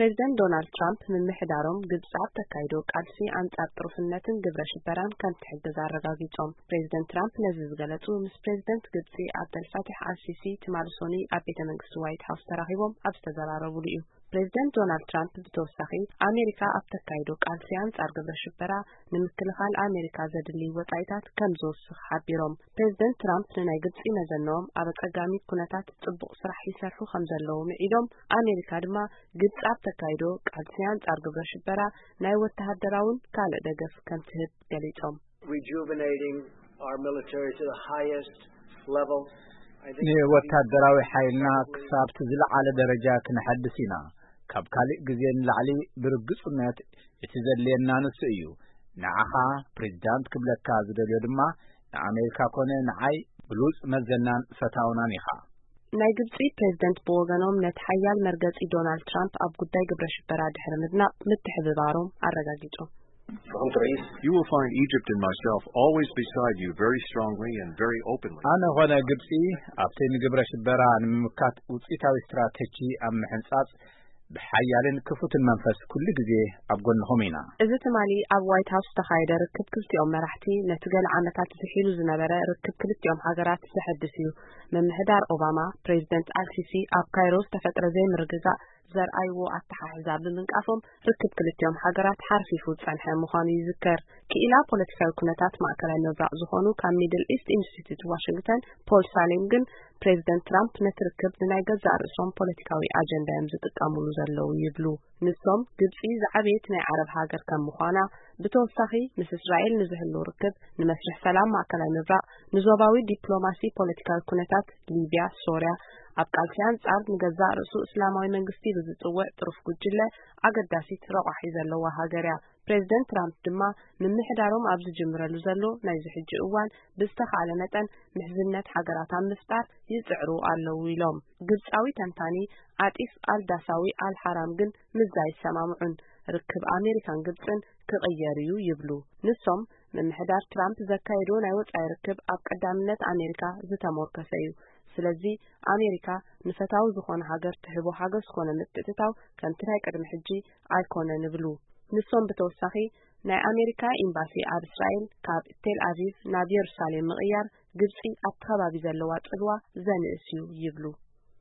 ፕሬዚደንት ዶናልድ ትራምፕ ምምሕዳሮም ግብፂ ኣብ ተካይዶ ቃልሲ ኣንፃር ጥሩፍነትን ግብረ ሽበራን ከም ትሕግዝ ኣረጋጊፆም። ፕሬዚደንት ትራምፕ ነዚ ዝገለፁ ምስ ፕሬዚደንት ግብፂ ኣብደልፋታሕ ኣልሲሲ ትማሊ ሶኒ ኣብ ቤተ መንግስቲ ዋይት ሃውስ ተራኺቦም ኣብ ዝተዘራረቡሉ እዩ። ፕሬዚደንት ዶናልድ ትራምፕ ብተወሳኺ ኣሜሪካ ኣብ ተካይዶ ቃልሲ ኣንፃር ግብረ ሽበራ ንምክልኻል ኣሜሪካ ዘድሊ ወፃኢታት ከም ዝወስኽ ሓቢሮም። ፕሬዚደንት ትራምፕ ንናይ ግብፂ መዘንኦም ኣብ ኣፀጋሚ ኩነታት ፅቡቕ ስራሕ ይሰርሑ ከም ዘለዉ ምዒዶም፣ ኣሜሪካ ድማ ግብፂ ኣብ ተካይዶ ቃልሲ ኣንፃር ግብረ ሽበራ ናይ ወተሃደራውን ካልእ ደገፍ ከም ትህብ ገሊፆም። Rejuvenating our military to the highest level. I think ንወታደራዊ ሓይልና ክሳብቲ ዝለዓለ ደረጃ ክነሐድስ ኢና። ካብ ካልእ ግዜ ንላዕሊ ብርግፁነት እቲ ዘድልየና ንሱ እዩ። ንዓኻ ፕሬዚዳንት ክብለካ ዝደልዮ ድማ ንኣሜሪካ ኮነ ንዓይ ብሉፅ መዘናን ፈታውናን ኢኻ። ናይ ግብፂ ፕሬዚደንት ብወገኖም ነቲ ሓያል መርገፂ ዶናልድ ትራምፕ ኣብ ጉዳይ ግብረ ሽበራ ድሕሪ ምድናቕ ምትሕብባሮም ኣረጋጊጾም። You will find Egypt and myself always beside you very strongly and very openly. ኣነ ኾነ ግብፂ ኣብቲ ንግብረ ሽበራ ንምምካት ውፅኢታዊ ስትራተጂ ኣብ ምሕንፃፅ ብሓያልን ክፉትን መንፈስ ኩሉ ግዜ ኣብ ጎንኹም ኢና። እዚ ትማሊ ኣብ ዋይት ሃውስ ዝተኻየደ ርክብ ክልቲኦም መራሕቲ ነቲ ገለ ዓመታት ዝሒሉ ዝነበረ ርክብ ክልቲኦም ሃገራት ዘሐድስ እዩ። ምምሕዳር ኦባማ ፕሬዚደንት ኣልሲሲ ኣብ ካይሮ ዝተፈጥረ ዘይምርግጋእ ዘርኣይዎ ኣተሓሕዛ ብምንቃፎም ርክብ ክልቲኦም ሃገራት ሓርፊፉ ዝጸንሐ ምዃኑ ይዝከር። ክኢላ ፖለቲካዊ ኩነታት ማእከላይ ምብራቕ ዝኾኑ ካብ ሚድል ኢስት ኢንስቲትዩት ዋሽንግተን ፖል ሳሌም ግን ፕሬዚደንት ትራምፕ ነቲ ርክብ ንናይ ገዛእ ርእሶም ፖለቲካዊ ኣጀንዳ እዮም ዝጥቀምሉ ዘለዉ ይብሉ። ንሶም ግብጺ ዝዓበየት ናይ ዓረብ ሃገር ከም ምዃና ብተወሳኺ ምስ እስራኤል ንዝህሉ ርክብ ንመስርሕ ሰላም ማእከላይ ምብራቕ ንዞባዊ ዲፕሎማሲ ፖለቲካዊ ኩነታት ሊብያ፣ ሶርያ፣ ኣብ ቃልሲ ኣንጻር ንገዛእ ርእሱ እስላማዊ መንግስቲ ብዝጽውዕ ጥሩፍ ጉጅለ ኣገዳሲት ረቋሒ ዘለዋ ሃገር እያ። ፕሬዚደንት ትራምፕ ድማ ምምሕዳሮም ኣብ ዝጅምረሉ ዘሎ ናይዚ ሕጂ እዋን ብዝተኻእለ መጠን ምሕዝነት ሃገራት ኣብ ምፍጣር ይጽዕሩ ኣለዉ ኢሎም። ግብጻዊ ተንታኒ ዓጢፍ ኣልዳሳዊ ኣልሓራም ግን ምዛ ኣይሰማምዑን። ርክብ ኣሜሪካን ግብጽን ክቕየር እዩ ይብሉ። ንሶም ምምሕዳር ትራምፕ ዘካየዶ ናይ ወጻኢ ርክብ ኣብ ቀዳምነት ኣሜሪካ ዝተሞርከሰ እዩ። ስለዚ ኣሜሪካ ንፈታዊ ዝኾነ ሃገር ትህቦ ሓገዝ ኮነ ምትእትታው ከምቲ ናይ ቅድሚ ሕጂ ኣይኮነን እብሉ። ንሶም ብተወሳኺ ናይ ኣሜሪካ ኤምባሲ ኣብ እስራኤል ካብ ቴል ኣቪቭ ናብ የሩሳሌም ምቕያር ግብጺ ኣብቲ ከባቢ ዘለዋ ጽልዋ ዘንእስ እዩ ይብሉ።